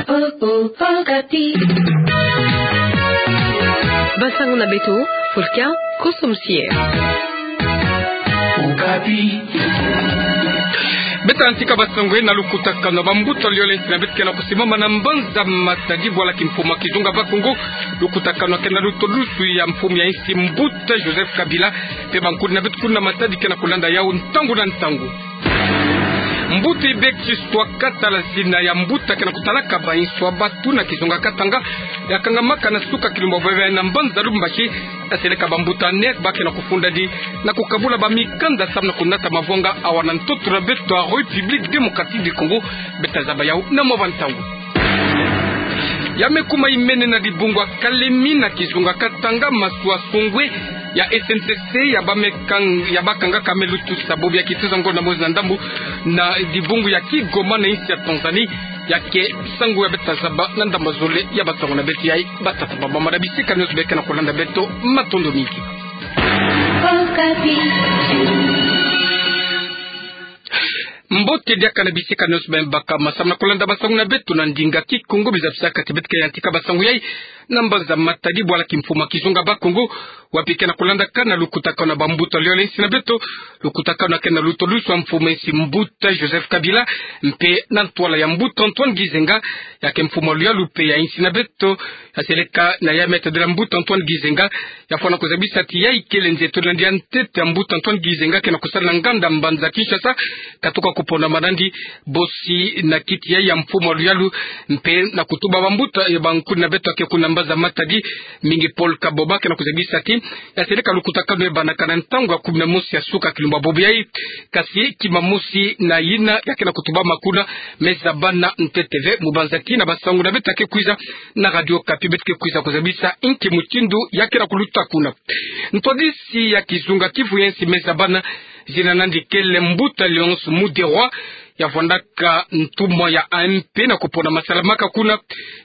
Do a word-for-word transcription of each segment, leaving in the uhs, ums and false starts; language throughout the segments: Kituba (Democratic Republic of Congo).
Okapi. Basango na beto, Fulkia Kosom Sier. Okapi. Beta yantika basango na lukutakano ya bambuta yole nsi na beto ke na kusimama na mbanza Matadi bwala kimfumu ya kizunga ba Kongo. Lukutakano ke na lutolusu ya mfumu ya nsi mbuta Joseph Kabila. Mpe bankudi na beto kuna Matadi ke na kulanda yau ntangu na ntangu. Mbuta Ibek Chistua Katala, zina ya mbuta ke na kutalaka bainso ya batu na kizunga Katanga, yakangamaka na suka kilumbu ya bobo yayi na mbanza Lubumbashi. Yaseleka bambuta nef ba ke na kufundadi na kukabula bamikanda samu na kunata mavwanga awa na ntoto na beto ya République Démocratique du Congo. Beta zaba yau na mwa bantangu. Ya me kuma imene na dibungu ya Kalemi na kizunga Katanga maswa songwe ya S N C C ya ba me kang-, ya bakangaka me lutusa bobo ya kituza ngonda mosi na ndambu na dibungu ya Kigoma na nsi ya Tanzanie. Ya ke sango ya beta zaba na ndambu zole ya basango na beto yayi. Batata, bamama na bisika nionso be ke na kulanda beto, matondo mingi. Mbote diaka na bisika nionso be bakama samu na kulanda basango na beto na ndinga Kikongo. Biza bisaka ti beto ke yantika basango yayi na mbanza Matadi bwala kimfumu ya kizunga ba Kongo, wapi ke na kulandaka na lukutakano ya bambuta yole nsi na beto. Lukutakano ke na lutolusu ya mfumu ya nsi mbuta Joseph Kabila, mpe na ntwala ya mbuta Antoine Gizenga. Ya ke mfumu ya luyalu mpe ya nsi na beto. Yaseleka na ya me tadila mbuta Antoine Gizenga. Yafwana kuzabisa ti yayi kele nze tolandi ya ntete ya mbuta Antoine Gizenga ke na kusala na nganda mbanza Kinshasa, katuka kuponama nandi bosi na kiti yayi ya mfumu ya luyalu, mpe na kutuba bambuta ya bankudi na beto ke kuna mbanza Matadi, mingi Paul Kaboba, ke na kuzabisa ti yaseleka lukutakano yabanaka na ntangu ya kumi na mosi ya suka kilumbu ya bobo yayi. Kasi kima mosi na yina ya ke na kutubama kuna me zabana ntete ve. Mubanza tina basango na beto ke kwiza na Radio Okapi, beto ke kwiza kuzabisa inki mutindu ya ke na kuluta kuna. Ntwadisi ya kizunga Kivu ya nsi me zabana, zina nandi kele mbuta Léonce Muderwa, yavwandaka ntumwa ya A M P na kuponama salamaka kuna.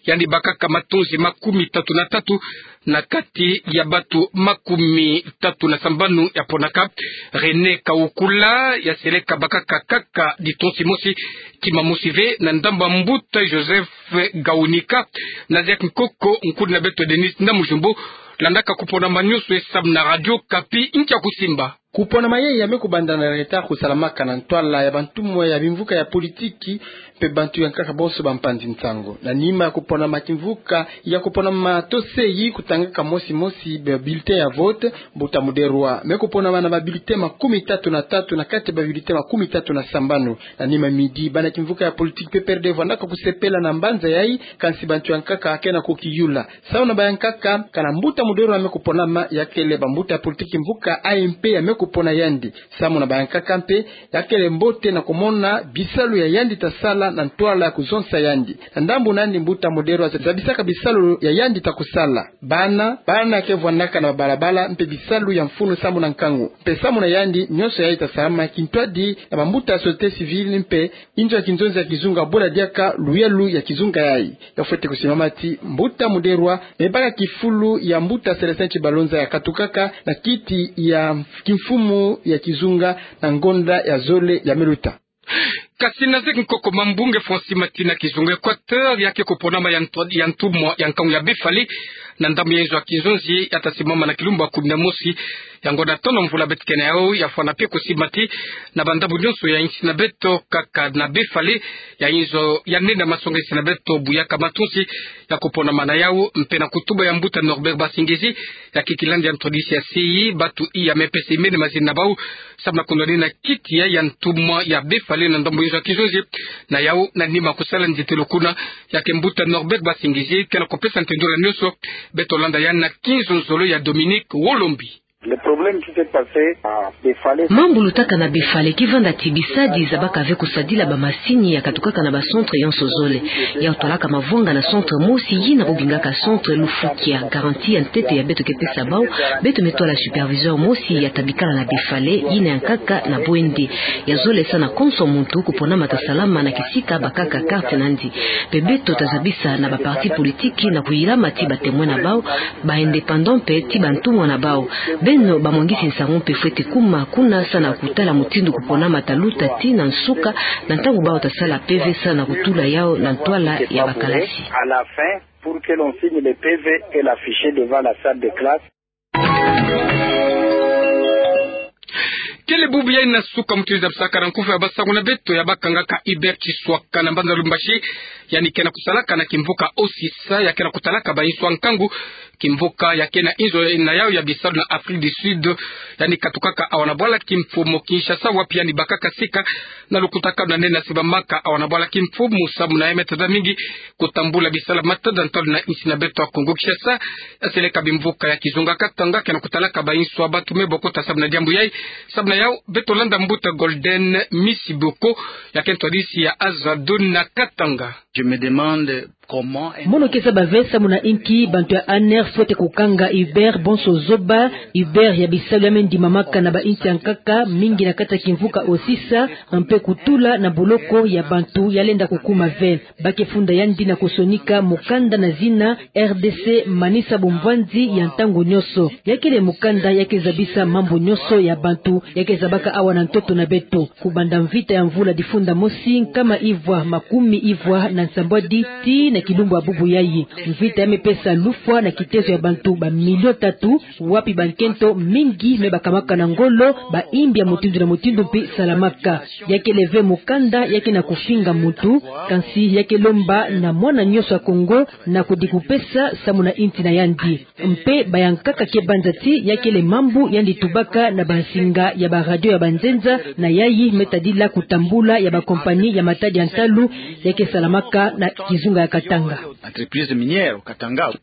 Yandi bakaka matonzi makumi tatu na tatu na kati ya bato makumi tatu na sambanu yaponaka. René Kawukula yaseleka bakaka kaka ditonzi mosi, kima mosi ve, na ndambu ya mbuta Joseph Gawunika. Na Jacques Nkoko, nkudi na beto Denis Namujumbo, landaka kuponama nionso yayi samu na Radio Okapi, inki ya kusimba. Kuponama yayi ya me kubanda na retard kusalamaka na ntwala ya bantumwa ya bimvuka ya politiki mpe bantu ya nkaka bonso bampanzi nsangu. Na nima ya kuponama kimvuka, ya kuponama toseyi, kutangaka mosi mosi ba bulletin ya vote. Mbuta Muderwa me kuponama na ba bulletin makumi tatu na tatu na kati ya ba bulletin makumi tatu na sambanu. Na nima midi, bana kimvuka ya politiki P P R D vwandaka kusepela na mbanza yayi, kansi bantu ya nkaka ke na kukiyula. Samu na bayankaka, kana mbuta Muderwa me kuponama, ya kele bambuta ya politiki mvuka A M P ya me kupona yandi. Samu na bayankaka mpe, ya kele mbote na kumona bisalu ya yandi ta sala na ntwala ya kuzonza yandi. Na ndambu nandi, mbuta Muderwa zabisaka bisalu ya yandi ta kusala. Bana, bana ke vwandaka na balabala mpe bisalu ya mfunu samu na nkangu. Mpe samu na yandi, nionso yayi ta salama kintwadi na bambuta ya société civile mpe inzo ya kinzonzi ya kizunga bula diaka luyalu ya kizunga yayi. Ya fwete kusimama ti mbuta Muderwa me baka kifulu ya mbuta Célestin Tshibalonza ya katukaka na kiti ya kimfumu ya kizunga na ngonda ya zole ya me luta. Kasi na Jacques Nkoko, mambunge Francis Matina, kizunga Équateur ya ke kuponama ya ntu-, ya ntumwa ya nkangu ya Befale na ndambu ya inzo ya kinzonzi ya ta simama na kilumbu ya kumi na mosi ya ngonda tono mvula beto ke na yau. Yafwana mpe kusimba ti na bandambu nionso ya nsi na beto, kaka na Befale, ya inzo ya nene ya masonga nsi na beto buyaka matonzi ya kuponama na yau, mpe na kutuba ya mbuta Norbert Basingezi, ya ke kilandi ya ntwadisi ya C I, bato iya me pesa imene mazina na bau samu na kunwanina kiti yayi ya ntumwa ya Befale na ndambu ya inzo ya kinzonzi. Na yau, na nima kusala nzitelo kuna, ya ke mbuta Norbert Basingezi ke na kupesa ntendolo nionso. Beto landa yandi na kinzonzolo ya Dominique Wolombi. Le problème qui s'est passé à Befale. Mambu lutaka na Befale ki vanda ti bisadi zabaka ve kusadila bamasini ya katukaka na ba centre yonso zole. Yau twalaka mavwanga na centre mosi, yina bo bingaka centre Lufukia. Garantie ya ntete ya beto ke pesa bau, beto me twala superviseur mosi ya ta bikala na Befale, yina ya nkaka na Bwende. Ya zole sa na konso muntu kuponama ta salama na kisika bakaka carte nandi. Mpe beto ta zabisa na ba parti politique na kuyilama ti ba témoin na bau, ba indépendant mpe ti bantumwa na bau. Eno bamwangisi nsangu mpe fwete kuma kuna sa na kutala mutindu kuponamaka luta tii na nsuka, na ntangu bawu ta sala P V sa na kutula yawu na ntwala ya bakalasi. À la fin, pour que l'on signe le P V et l'afficher devant la salle de classe. Kele bubu yayi na suka mutindu zabisaka na nkufi ya basangu na beto ya bakangaka Hubert Chiswaka na mbanza Lubumbashi, yandi ke na kusalaka na kimvuka Osisa, ya ke na kutalaka bainso ya nkangu, kimvuka ya ke na inzo na yawu ya bisalu na Afrique du Sud. Yandi katukaka awa na bwala kimfumu Kinshasa, wapi yandi bakaka sika na lukutakanu na nde na sibamaka awa na bwala kimfumu, samu na ya me tada mingi kutambula bisalu ya matada ntwala na insi na beto ya Kongo Kinshasa. Ya seleka bimvuka ya kizunga Katanga ke na kutalaka bainso ya bantu me bokota samu na diambu yayi. Samu na yawu beto landa mbuta Golden Misi Boko, ya ke ntwadisi ya Azadun na Katanga. Je me demande comment. Mono ke zaba ve samu na inki bantu ya ANR fwete kukanga Hubert bonso zoba. Hubert ya bisalu ya me ndimamaka na bainsi ya nkaka, mingi na kati ya kimvuka Osisa, mpe kutula na boloko ya bantu ya lenda kukuma ve. Ba ke funda yandi na kusonika mukanda na zina R D C, manisa bumvwanzi ya ntangu nyonso. Ya kele mukanda ya ke zabisa mambu nyonso ya bantu ya ke zabaka awa na ntoto na beto. Kubanda mvita ya mvula difunda mosi nkama ivwa makumi ivwa na nsambwadi tii na kilumbu ya bubu yayi, mvita ya me pesa lufwa na kitezo ya bantu bamilio tatu, wapi bankento mingi me bakamaka na ngolo, baimbi ya mutindu na mutindu mpe salamaka. Ya kele ve mukanda ya ke na kufinga muntu, kansi ya ke lomba na mwana nyonso ya Kongo na kudikupesa samu na insi na yandi. Mpe ba ya nkaka ke banza ti ya kele mambu yandi tubaka na bansinga ya baradio ya banzenza, na yayi me tadila kutambula ya bakompani ya matadi ya ntalu ya ke salamaka na kizunga ya Katanga. Entreprise minière Katanga.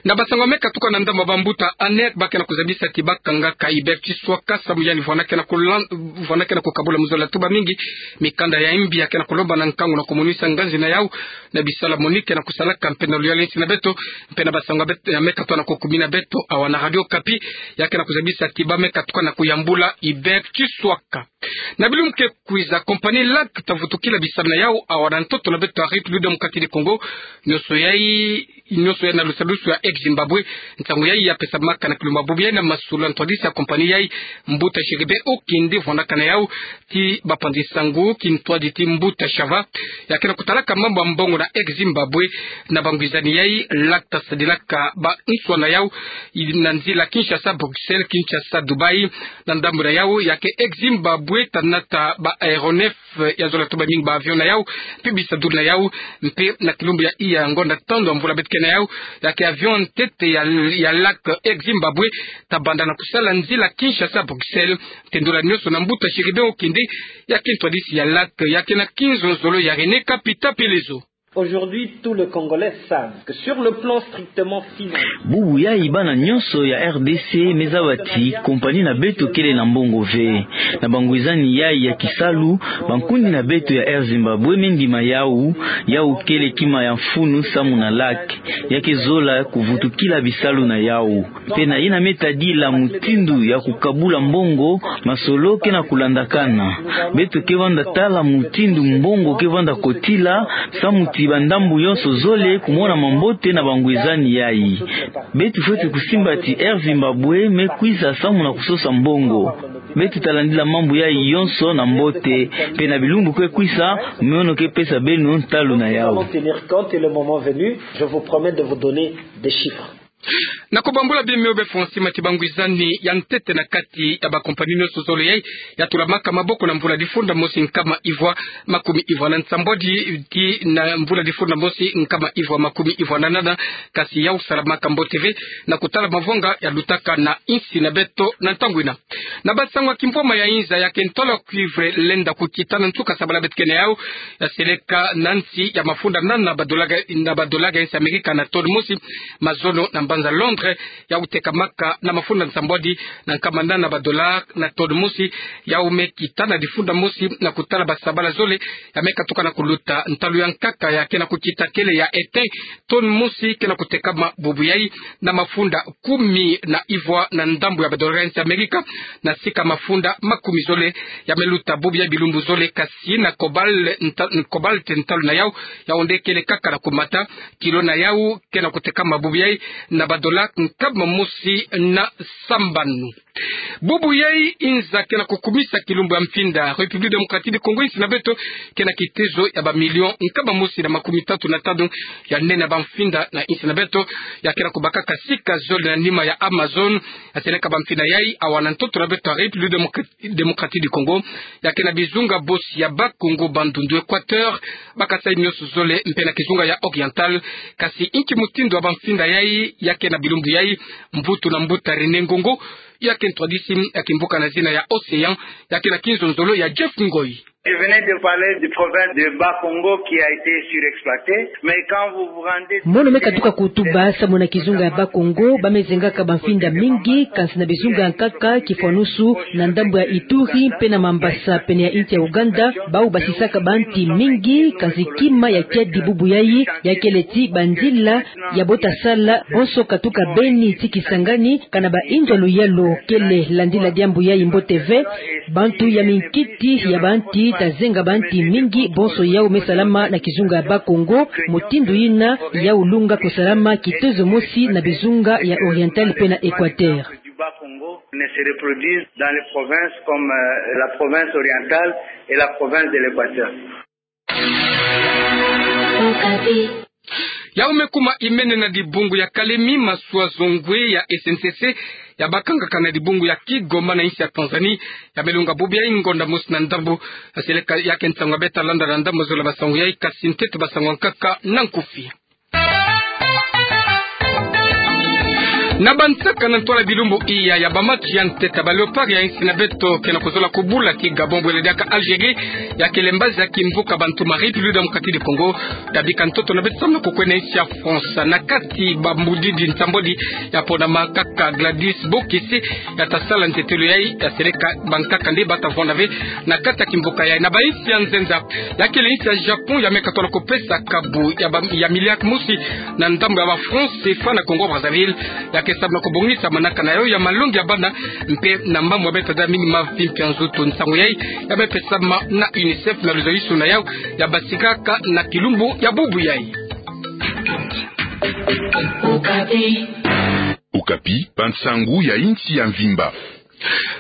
Na basangu ya me katuka na ndambu ya bambuta ANR, ba ke na kuzabisa ti bakangaka Hubert Chiswaka samu yandi vwanda ke na kulan-, vwanda ke na kukabula mu zola ya tuba mingi mikanda ya imbi ya ke na kulomba na nkangu na kumonisa nganzi na yawu na bisalu ya moni ke na kusalaka mpe na luyala ya insi na beto. Mpe na basangu ya bet-, ya me katuka na kukumina beto awa na Radio Okapi, ya ke na kuzabisa ti ba me katuka na kuyambula Hubert Chiswaka. Na bilumbu ke kwiza, kompani LAC ta vutukila bisalu na yawu awa na ntoto na beto ya République démocratique du Congo. Nyonso yayi, nyonso yayi na lusalusu ya Exim Zimbabwe. Nsangu yayi ya pesamaka na kilumbu ya bubu yayi na masolo ya ntwadisi ya kompani yayi, mbuta Chérubin Okende, vwandaka na yawu ti bapanzi nsangu, kintwadi ti mbuta Chava, ya ke na kutalaka mambu ya mbongo na Exim Zimbabwe. Na bangwizani yayi, LAC ta sadilaka banswa na yawu na nzila Kinshasa Bruxelles, Kinshasa Dubaï. Na ndambu na yawu ya ke Exim Zimbabwe ta nata ba aéronef ya zola ya tuba mingi, ba avion na yawu mpe bisadulu na yawu. Mpe na kilumbu ya iya ngonda tandu ya mvula beto ke na yawu, ya ke avion ntete ya, ya LAC Exim Zimbabwe ta banda na kusala nzila Kinshasa Bruxelles. Tendula nyonso na mbuta Chérubin Okende, ya ke ntwadisi ya LAC, ya ke na kinzonzolo ya René Kapita Pelezo. Aujourd'hui, tous les Congolais savent que sur le plan strictement financier, bubu yayi bana nyonso ya R D C me zaba ti kompani na beto kele na mbongo ve. Na bangwizani yayi ya kisalu, bankundi na beto ya Air Zimbabwe me ndima yawu, yawu kele kima ya mfunu samu na LAC, ya ke zola kuvutukila bisalu na yawu. Mpe na yina me tadila mutindu ya kukabula mbongo, masolo ke na kulandakana. Beto ke vanda tala mutindu mbongo ke vanda kotila, samu ti bandambu yonso zole kumona mambote na bangwizani yayi. Beto fwete kusimba ti Air Zimbabwe me kwiza samu na kusosa mbongo. Beto ta landila mambu yayi yonso na mbote, mpe na bilumbu ke kwiza, mono ke pesa beno ntalu na yawu. Nous allons tenir compte et le moment venu, je vous promets de vous donner des chiffres. Na kubambula bima biyôbe, fwa nsima ti bangwizani ya ntete na kati ya bakompani nyonso zole yayi ya tulamaka maboko na mvula difunda mosi nkama ivwa makumi ivwa na nsambwadi tii na mvula difunda mosi nkama ivwa makumi ivwa na nana, kasi yawu salamaka mbote ve na kutala mavwanga ya lutaka na insi na beto na ntangu yina. Na basangu ya kimvwama ya inza, ya ke ntwala cuivre lenda kukita na nsuka sabala beto ke na yawu, ya seleka na nsi ya mafunda nana na badola ga, na badola ga insi Amerika na tone mosi, mazono na mbanza Londres, yawu tekamaka na mafunda nsambwadi na nkama nana na badola na tone mosi. Yawu me kita na difunda mosi na kutala basabala zole ya me katuka na kuluta. Ntalu ya nkaka ya ke na kukita kele ya ete, tone mosi ke na kutekama bubu yayi na mafunda kumi na ivwa na ndambu ya badola ga insi Amerika, na sika mafunda makumi zole ya me luta bubu yayi bilumbu zole. Kasi na cobalt nta-, cobalt ntalu na yawu, yawu nde kele kaka na kumata. Kilo na yawu ke na kutekama bubu yayi na badola nkama mosi na sambanu. Bubu yai, inza ke na kukumisa kilumbu ya mfinda République Démocratique du Congo, insi na beto ke na kitezo ya ba million nkama mosi na makumi tatu na tanu ya nene ya ba mfinda na insi na beto, ya ke na kubakaka sika zole na nima ya Amazon. Aseleka ba mfinda yai awa na ntoto na beto ya République Démocratique Démocratique du Congo, ya ke na bizunga bosi ya Bas-Congo, Bandundu, Équateur, Bas-Kasaï nyonso zole, mpe na kizunga ya Oriental. Kasi inki mutindu ya ba mfinda yai ya ke na bilumbu yai? Mvutu na mbuta René Ngongo, ya ke ntwadisi ya kimvuka na zina ya Océan, ya ke na kinzonzolo ya Jeff Ngoy. Je venais de parler du province de Bas-Congo qui a été surexploité, mais quand vous vous rendez... Mono me katuka kutuba samu na kizunga ya Bas-Congo, ba me zengaka ba mfinda mingi, kansi na bizunga ya nkaka, kifwanusu na ndambu ya Ituri mpe na Mambasa, pene ya insi ya Ouganda, bau basisaka ba nti mingi, kansi kima ya kiadi bubu yai ya kele ti banzila ya bota sala bonso katuka beni ti Kisangani, kana ba inzo ya luyalu kele landila diambu yai mbote ve. Bantu ya minkiti ya ba nti ta zenga ba nti mingi, bonso yau me salama na kizunga ya Bas-Congo. Mutindu yina yau lunga kusalama kitezo mosi na bizunga ya Oriental mpe na Équateur. Du Bas-Congo ne se reproduisent dans les provinces comme, euh, la province orientale et la province de l'Équateur. Yau me kuma imene na dibungu ya Kalemi. Maswa zongwe ya S N C C ya bakangaka na dibungu ya Kigoma na insi ya Tanzanie ya me lunga bubu yai ngonda mosi na ndambu. Aseleka ya ke nsangu ya beta landa na ndambu zole ba nsangu yai, kasi ntete ba nsangu ya nkaka na nkufi. Na bansaka na ntwala bilumbu iya ya ba match ya ntete, ba Léopards ya insi na beto ke na kuzola kubula ti Gabon bwele diaka Algérie, ya kele mbazi ya kimvuka bantu ma République Démocratique du Congo. Tabika ntoto na beto samu na kukwenda insi ya France. Na kati ba mbudidi nsambwadi ya pona makaka Gladys Bokese ya ta sala ntetelo yai, ya seleka bankaka nde ba ta vwanda ve na kati ya kimvuka yai. Na ba insi ya nzenza, ya kele insi ya Japon ya me katwala kupesa kabu ya ba, ya milliard mosi na ndambu ya ba francs C F A na Congo Brazzaville, ya ke samu na kubongisa manaka na yau ya malongi ya bana, mpe na mambu ya beta da mingi mavimpi ya nzutu. Nsangu yai ya me pesama na UNICEF na luzolisu na yau ya basikaka na kilumbu ya bubu yai. Okapi, bansangu ya insi ya mvimba.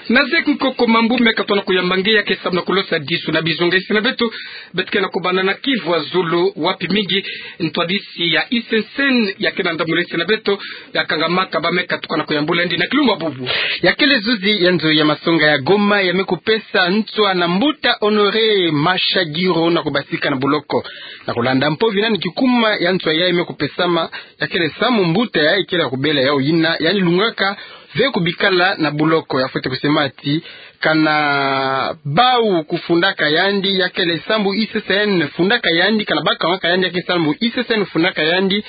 Na zeki nkoko mambu me katwala kuyamba nge, ya ke samu na kulosadisu na bizonga insi na beto. Beto ke na kubanda na Kivu ya zulu, wapi mingi ntwadisi ya I C C N ya ke na ndambu na insi na beto ya kangamaka ba me katuka na kuyambula ndi na kilumbu ya bubu. Ya kele zuzi ya nzo ya masonga ya Goma ya me kupesa nswa na mbuta Honoré Mashagiro na kubasika na buloko. Na kulanda mpovi nani kikuma ya nswa yai me kupesama, ya kele samu mbuta yai kele ya kubela yau yina, yandi lungaka ve kubikala na buloko. Ya fwete kusema ti kana bau kufundaka yandi, ya kele sambu I C C N fundaka yandi, kana bakangaka yandi, ya kele sambu I C C N fundaka yandi.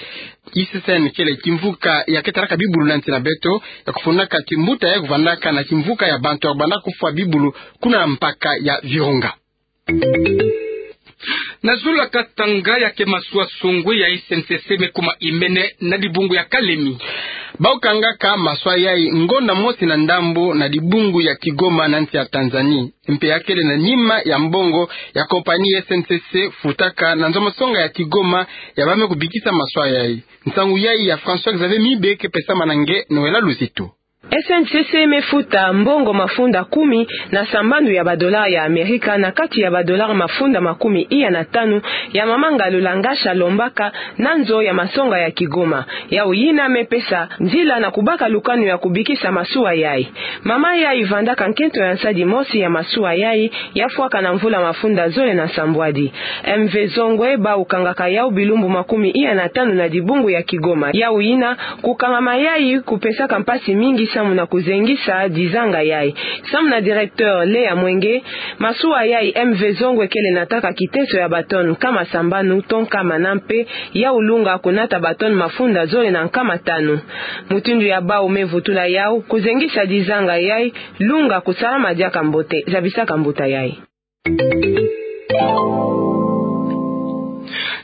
I C C N kele kimvuka ya ke talaka bibulu na nsi na beto, ya kufundaka ti mbuta yai kuvandaka na kimvuka ya bantu ya kubanda kufwa bibulu kuna mpaka ya Virunga. Na zulu ya Katanga ya ke maswa songwe ya I C N C C me kuma imene na dibungu ya Kalemi. Bau kangaka maswa yai ngonda mosi na ndambu na dibungu ya Kigoma na nsi ya Tanzanie. Mpe ya kele na nima ya mbongo ya kompani S N C C futaka na nzo masonga ya Kigoma ya ba me kubikisa maswa yai. Nsangu yai ya François Xavier Mibe ke pesama na nge Noëlla Luzito. S N C C me futa mbongo mafunda kumi na sambanu ya ba dollars ya Amerika na kati ya ba dollars mafunda makumi iya na tanu ya mama Ngalula Ngasha alombaka na nzo ya masonga ya Kigoma. Yau yina me pesa nzila na kubaka lukanu ya kubikisa masuwa yai. Mama yai vandaka nkento ya nsadi mosi ya masuwa yai ya fwaka na mvula mafunda zole na nsambwadi. M V Zongwe bau kangaka yau bilumbu makumi iya na tanu na dibungu ya Kigoma. Yau yina kukangama yai kupesaka mpasi mingi samu na kuzengisa dizanga yai. Samu na directeur Lea Mwenge, masuwa yai M V Zongwe kele nataka kiteso ya ba tonnes nkama sambanu to nkama na mpe yau lunga kunata ba tonnes mafunda zole na nkama tanu. Mutindu ya bau me vutula yau, kuzengisa dizanga yai lunga kusalama diaka mbote, zabisaka mbuta yai.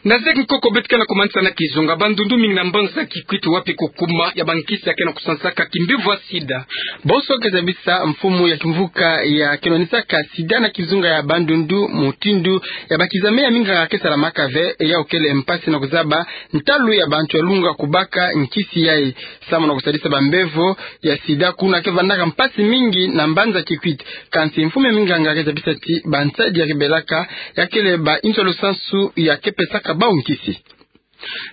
Na zeki nkoko beto ke na kumanisa na kizunga Bandundu, mingi na mbanza Kikwit, wapi kukuma ya bankisi ya ke na kusansaka kimbevo ya sida. Bonso ke zabisa mfumu ya kimvuka ya ke nwanisaka sida na kizunga ya Bandundu, mutindu ya bakizame ya minganga ke salamaka ve, e yau kele mpasi na kuzaba ntalu ya bantu ya lunga kubaka nkisi yayi. Samu na kusadisa bambevo ya sida kuna ke vandaka mpasi mingi na mbanza Kikwit. Kansi mfumu ya minganga ke zabisa ti bansadi ya ke belaka ya kele ba inzo lusansu ya ke pesaka bau nkisi.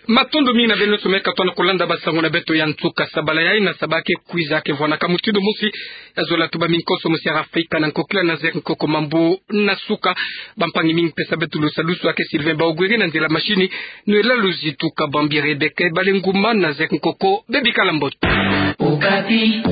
Matondo mingi na beno nyonso me katwa na kulanda basango na beto ya nsuka. Sabala yayi na sabala ke kwiza ke vwanaka mutindu mosi. Ya zola tuba minkoso mosi ya Afrika na nkokila na zeki nkoko mambu na suka. Bampangi mingi pesa beto lusalusu ya ke Sylvain Baogwere, na nzila machine nwela Luzitu Kabambi Rebecca Balenguma, na zeki nkoko bebikala mbote. Okapi.